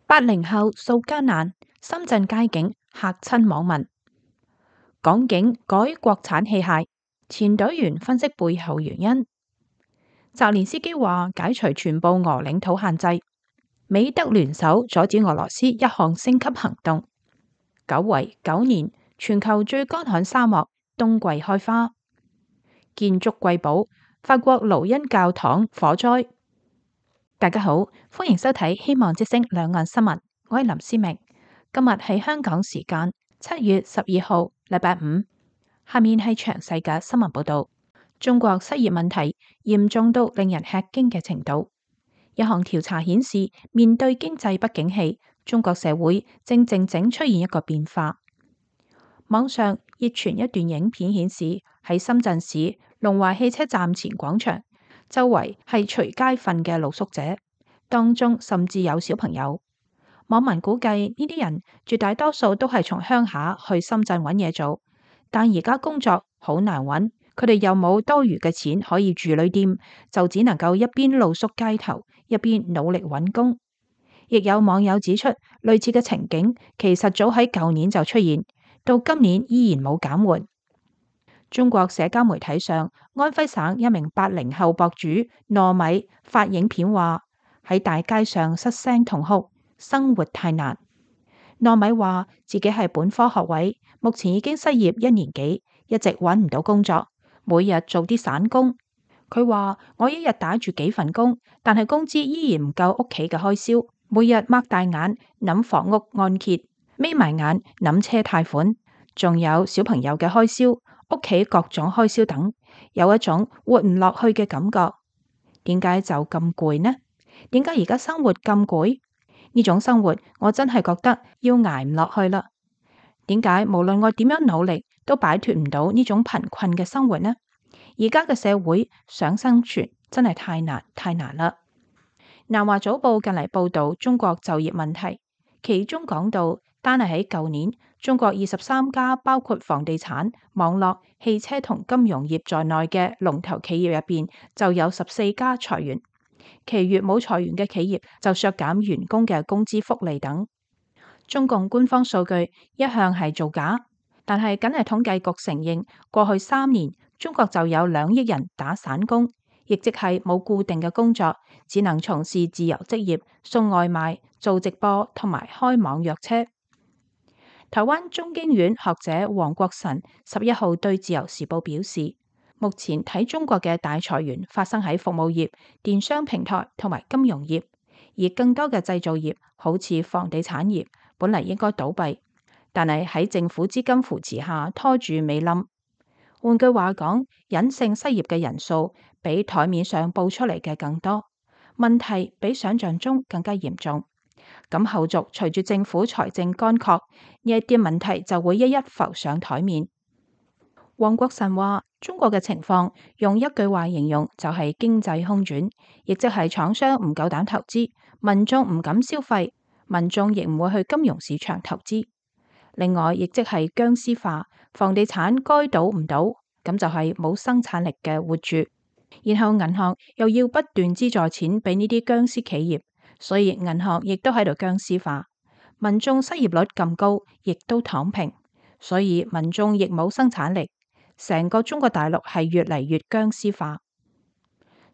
80後掃艱難，深圳街景嚇親網民。港警改國產器械，前隊員分析背後原因。澤連斯基話解除全部俄領土限制，美德聯手阻止俄羅斯一項升級行動。久違9年，全球最乾旱沙漠冬季開花。建築瑰寶，法國盧恩教堂火災。大家好，歡迎收睇希望之聲兩岸新聞，我係林思明。今日係香港時間7月12號，禮拜五。下面係詳細嘅新聞報道。中國失業問題嚴重到令人吃驚嘅程度。一項調查顯示，面對經濟不景氣，中國社會正靜靜出現一個變化。網上熱傳一段影片，顯示喺深圳市龍華汽車站前廣場，周圍係隨街瞓嘅露宿者，當中甚至有小朋友。網民估計呢啲人絕大多數都係從鄉下去深圳揾嘢做，但而家工作好難揾，佢哋又冇多餘嘅錢可以住旅店，就只能夠一邊露宿街頭，一邊努力揾工。亦有網友指出，類似嘅情景其實早喺舊年就出現，到今年依然冇減緩。中國社交媒體上，安徽省一名80後博主糯米發影片話喺大街上失聲痛哭，生活太難。糯米話自己係本科學位，目前已經失業1年幾，一直揾唔到工作，每日做啲散工。佢話我一日打住幾份工，但係工資依然唔夠屋企嘅開銷，每日擘大眼諗房屋按揭，眯埋眼諗車貸款，仲有小朋友嘅開銷，屋企各種開銷等，有一種活唔落去嘅感覺。點解就咁攰呢？點解而家生活咁攰？呢種生活我真係覺得要捱唔落去啦。點解無論我點樣努力都擺脫唔到呢種貧困嘅生活呢？而家嘅社會想生存真係太難啦。南華早報近嚟報道中國就業問題，其中講到單係喺舊年，中國23家包括房地產、網絡、汽車同金融業在內嘅龍頭企業入邊，就有14家裁員，其餘冇裁員嘅企業就削減員工嘅工資福利等。中共官方數據一向係造假，但係僅係統計局承認，過去3年中國就有2億人打散工，亦即係冇固定嘅工作，只能從事自由職業，送外賣、做直播同埋開網約車。台灣中經院學者黃國臣11號對自由時報表示，目前睇中國嘅大裁員發生喺服務業、電商平台同埋金融業，而更多嘅製造業好似房地產業本嚟應該倒閉，但係喺政府資金扶持下拖住未冧。換句話講，隱性失業嘅人數比台面上報出嚟嘅更多，問題比想象中更加嚴重。咁後續隨住政府財政乾涸，呢一啲問題就會一一浮上台面。黃國臣話：中國嘅情況用一句話形容就係經濟空轉，亦即係廠商唔夠膽投資，民眾唔敢消費，民眾亦唔會去金融市場投資。另外，亦即係僵屍化，房地產該倒唔倒，咁就係冇生產力嘅活住。然後銀行又要不斷資助錢俾呢啲僵屍企業，所以銀行亦都喺度僵屍化。民眾失業率咁高，亦都躺平，所以民眾亦冇生產力。成個中國大陸係越嚟越僵屍化。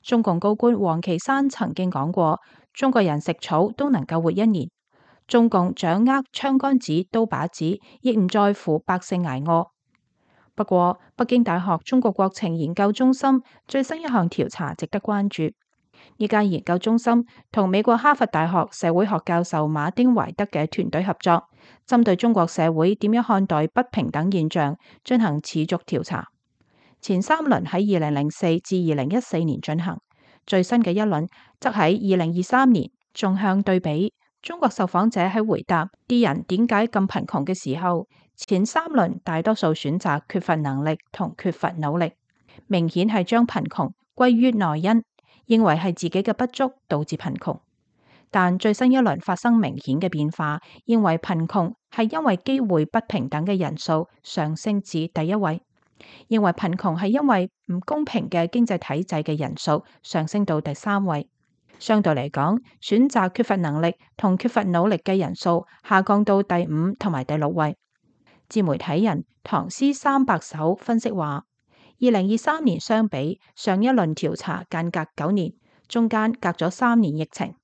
中共高官王岐山曾經講過，中國人食草都能夠活1年。中共掌握槍桿子、刀把子，亦唔在乎百姓捱餓。不過，北京大學中國國情研究中心最新一項調查值得關注。呢間研究中心同美國哈佛大學社會學教授馬丁懷德嘅團隊合作，針對中國社會點樣看待不平等現象進行持續調查。前3輪喺2004至2014年進行，最新嘅一輪則喺2023年。縱向對比，中國受訪者喺回答啲人點解咁貧窮嘅時候，前3輪大多數選擇缺乏能力同缺乏努力，明顯係將貧窮歸於內因，認為係自己嘅不足導致貧窮。但最新一輪發生明顯嘅變化，認為貧窮係因為機會不平等嘅人數上升至第1位，認為貧窮係因為唔公平嘅經濟體制嘅人數上升到第3位。相對嚟講，選擇缺乏能力同缺乏努力嘅人數下降到第5同埋第6位。自媒體人唐詩300首分析話，2023年相比上一輪調查間隔9年，中間隔咗3年疫情。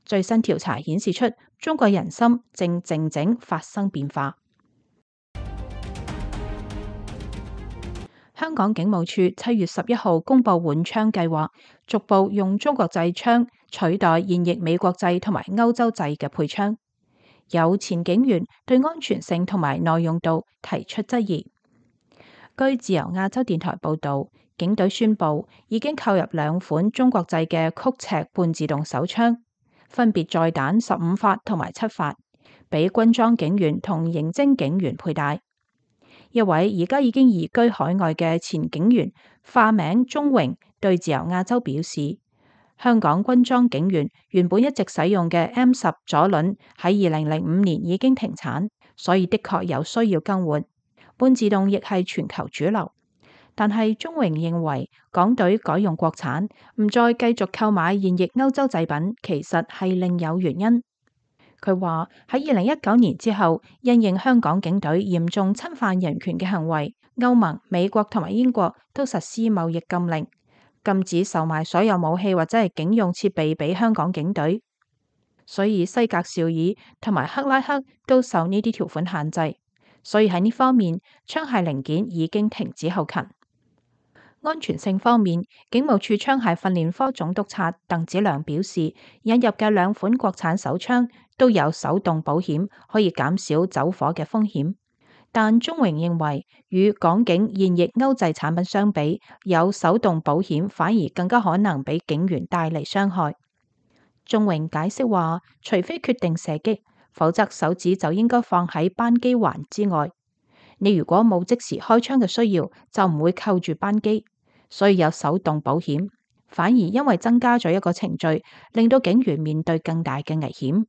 最新調查顯示出中國人心正靜靜發生變化。香港警務處7月11號公布換槍計劃，逐步用中國製槍取代現役美國製同埋歐洲製嘅配槍。有前警員對安全性同埋耐用度提出質疑。據自由亞洲電台報道，警隊宣布已經購入2款中國製嘅曲尺半自動手槍，分別載彈15發同埋7發，俾軍裝警員同刑偵警員佩戴。一位而家已經移居海外嘅前警員，化名鍾榮，對自由亞洲表示，香港軍裝警員原本一直使用嘅 M10 左輪喺2005年已經停產，所以的確有需要更換。半自動亦係全球主流，但係鍾榮認為港隊改用國產，唔再繼續購買現役歐洲製品，其實係另有原因。佢話喺2019年之後，因應香港警隊嚴重侵犯人權嘅行為，歐盟、美國同埋英國都實施貿易禁令，禁止售賣所有武器或者係警用設備俾香港警隊，所以西格紹爾同埋克拉克都受呢啲條款限制，所以喺呢方面，槍械零件已經停止後勤。安全性方面，警務處槍械訓練科總督察鄧子良表示，引入嘅2款國產手槍都有手動保險，可以減少走火嘅風險。但鍾榮認為，與港警現役歐製產品相比，有手動保險反而更加可能俾警員帶嚟傷害。鍾榮解釋話，除非決定射擊，否則手指就應該放喺扳機環之外。你如果冇即時開槍嘅需要，就唔會扣住扳機，所以有手動保險，反而因為增加咗一個程序，令到警員面對更大嘅危險。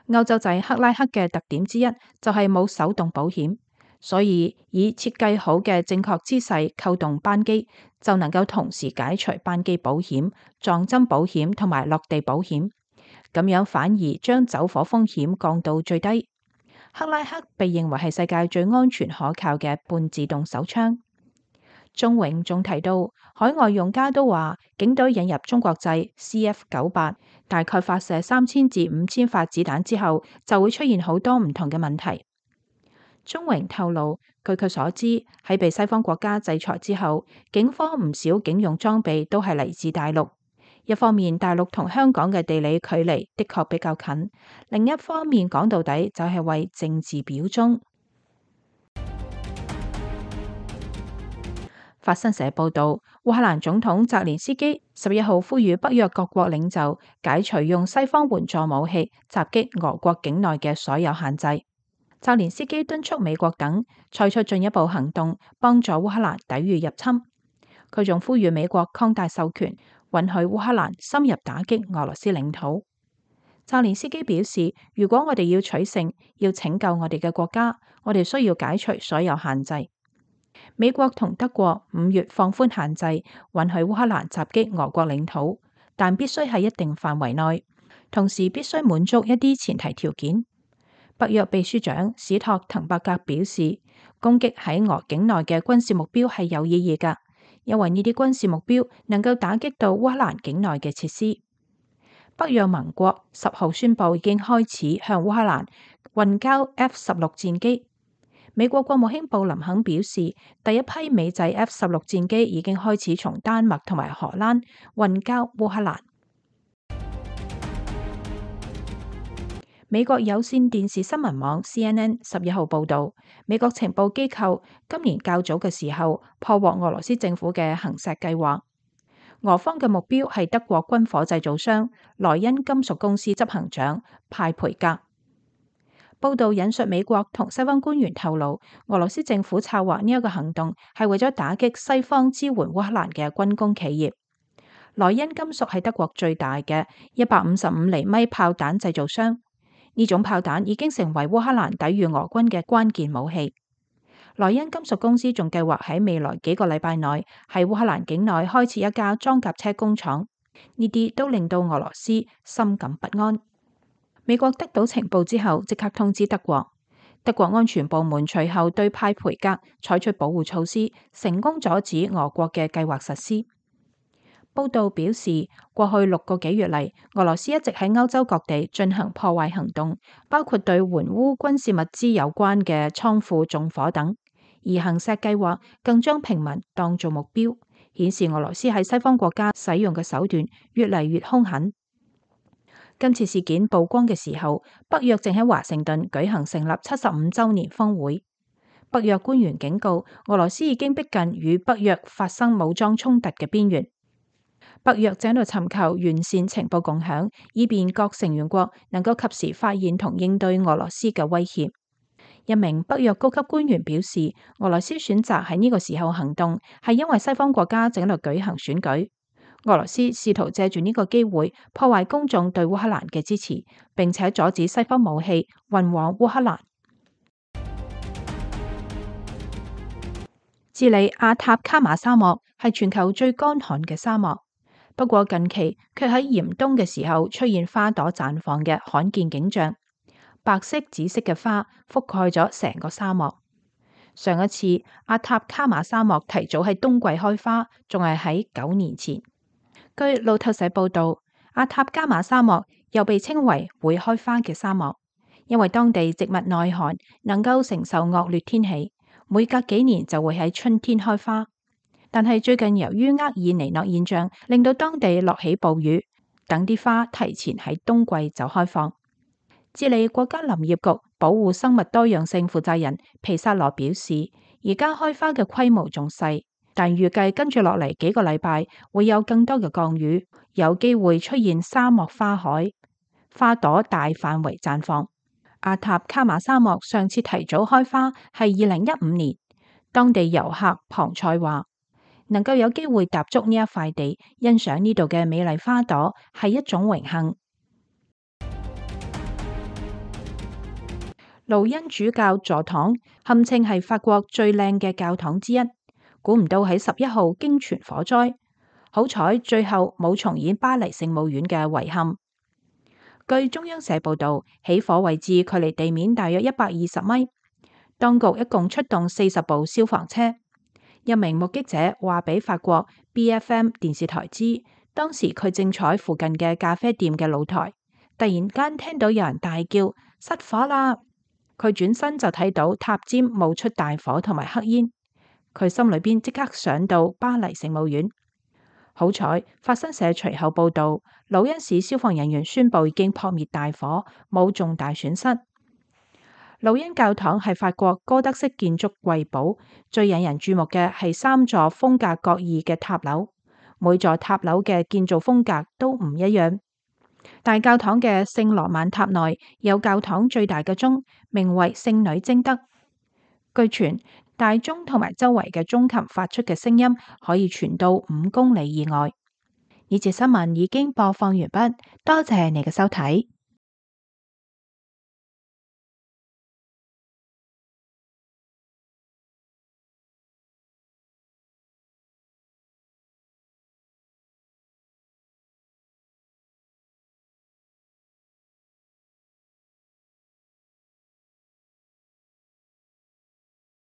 歐洲製克拉克嘅特點之一就係冇手動保險，所以以設計好嘅正確姿勢扣動扳機，就能夠同時解除扳機保險、撞針保險同埋落地保險，咁樣反而將走火風險降到最低。克拉克被認為係世界最安全可靠嘅半自動手槍。鍾榮仲提到，海外用家都話，警隊引入中國製 CF98，大概發射3000至5000發子彈之後，就會出現好多唔同嘅問題。鍾榮透露，據佢所知，喺被西方國家制裁之後，警方唔少警用裝備都係嚟自大陸。一方面，大陸同香港嘅地理距離的確比較近；另一方面，講到底就係為政治表忠。法新社報導，烏克蘭總統澤連斯基11號呼籲北約各國領袖解除用西方援助武器襲擊俄國境內嘅所有限制。澤連斯基敦促美國等採取進一步行動，幫助烏克蘭抵禦入侵。佢仲呼籲美國擴大授權，允許烏克蘭深入打擊俄羅斯領土。澤連斯基表示，如果我哋要取勝，要拯救我哋嘅國家，我哋需要解除所有限制。美國同德國5月放寬限制，允許烏克蘭襲擊俄國領土，但必須喺一定範圍內，同時必須滿足一啲前提條件。北約秘書長史托滕伯格表示，攻擊喺俄境內嘅軍事目標係有意義㗎，因為呢啲軍事目標能夠打擊到烏克蘭境內嘅設施。北約盟國10號宣布已經開始向烏克蘭運交 F-16戰機。美國國務卿布林肯表示，第一批美製 F-16戰機已經開始從丹麥同埋荷蘭運交烏克蘭。美國有線電視新聞網 CNN 11號報導，美國情報機構今年較早嘅時候破獲俄羅斯政府嘅行石計劃。俄方嘅目標係德國軍火製造商萊茵金屬公司執行長派培格。報道引述美國同西方官員透露，俄羅斯政府策劃呢一個行動係為咗打擊西方支援烏克蘭嘅軍工企業。萊茵金屬係德國最大嘅155厘米炮彈製造商，呢種炮彈已經成為烏克蘭抵禦俄軍嘅關鍵武器。萊茵金屬公司仲計劃喺未來幾個禮拜內喺烏克蘭境內開設一家裝甲車工廠。呢啲都令到俄羅斯深感不安。美國得到情報之後，即刻通知德國。德國安全部門隨後對派培格採取保護措施，成功阻止俄國嘅計劃實施。報道表示，過去6個幾月嚟，俄羅斯一直喺歐洲各地進行破壞行動，包括對援烏軍事物資有關嘅倉庫縱火等。而行石計劃更將平民當做目標，顯示俄羅斯喺西方國家使用嘅手段越嚟越兇狠。今次事件曝光嘅時候，北約正喺華盛頓舉行成立75週年峰會。北約官員警告，俄羅斯已經逼近與北約發生武裝衝突嘅邊緣。北約正喺度尋求完善情報共享，以便各成員國能夠及時發現同應對俄羅斯嘅威脅。一名北約高級官員表示，俄羅斯選擇喺呢個時候行動，係因為西方國家正喺度舉行選舉。俄羅斯試圖借住呢個機會破壞公眾對烏克蘭嘅支持，並且阻止西方武器運往烏克蘭。智利阿塔卡馬沙漠係全球最乾旱嘅沙漠。不過近期卻喺嚴冬嘅時候出現花朵綻放嘅罕見景象，白色、紫色嘅花覆蓋咗成個沙漠。上一次阿塔卡馬沙漠提早喺冬季開花，仲係喺9年前。據路透社報道，阿塔卡馬沙漠又被稱為會開花嘅沙漠，因為當地植物耐寒，能夠承受惡劣天氣，每隔幾年就會喺春天開花。但係最近由於厄爾尼諾現象，令到當地落起暴雨，等啲花提前喺冬季就開放。智利國家林業局保護生物多樣性負責人皮薩羅表示，而家開花嘅規模仲細，但預計跟住落嚟幾個禮拜會有更多嘅降雨，有機會出現沙漠花海，花朵大範圍綻放。阿塔卡馬沙漠上次提早開花係2015年，當地遊客龐塞話，能夠有機會踏足呢一塊地，欣賞呢度嘅美麗花朵係一種榮幸。盧恩主教座堂堪稱係法國最靚嘅教堂之一，估唔到喺11號驚傳火災，好彩最後冇重演巴黎聖母院嘅遺憾。據中央社報道，起火位置距離地面大約120米，當局一共出動40部消防車。一名目擊者話俾法國 BFM 電視台知，當時佢正坐喺附近嘅咖啡店嘅露台，突然間聽到有人大叫失火啦！佢轉身就睇到塔尖冒出大火同埋黑煙，佢心裏邊即刻想到巴黎聖母院。好彩法新社隨後報道，魯恩市消防人員宣布已經撲滅大火，冇重大損失。魯恩教堂係法國哥德式建築瑰寶，最引人注目嘅係3座風格各異嘅塔樓，每座塔樓嘅建造風格都唔一樣。大教堂嘅聖羅曼塔內有教堂最大嘅鐘，名為聖女貞德。據傳，大鐘同埋周圍嘅鐘琴發出嘅聲音可以傳到5公里以外。呢節新聞已經播放完畢，多謝你嘅收睇。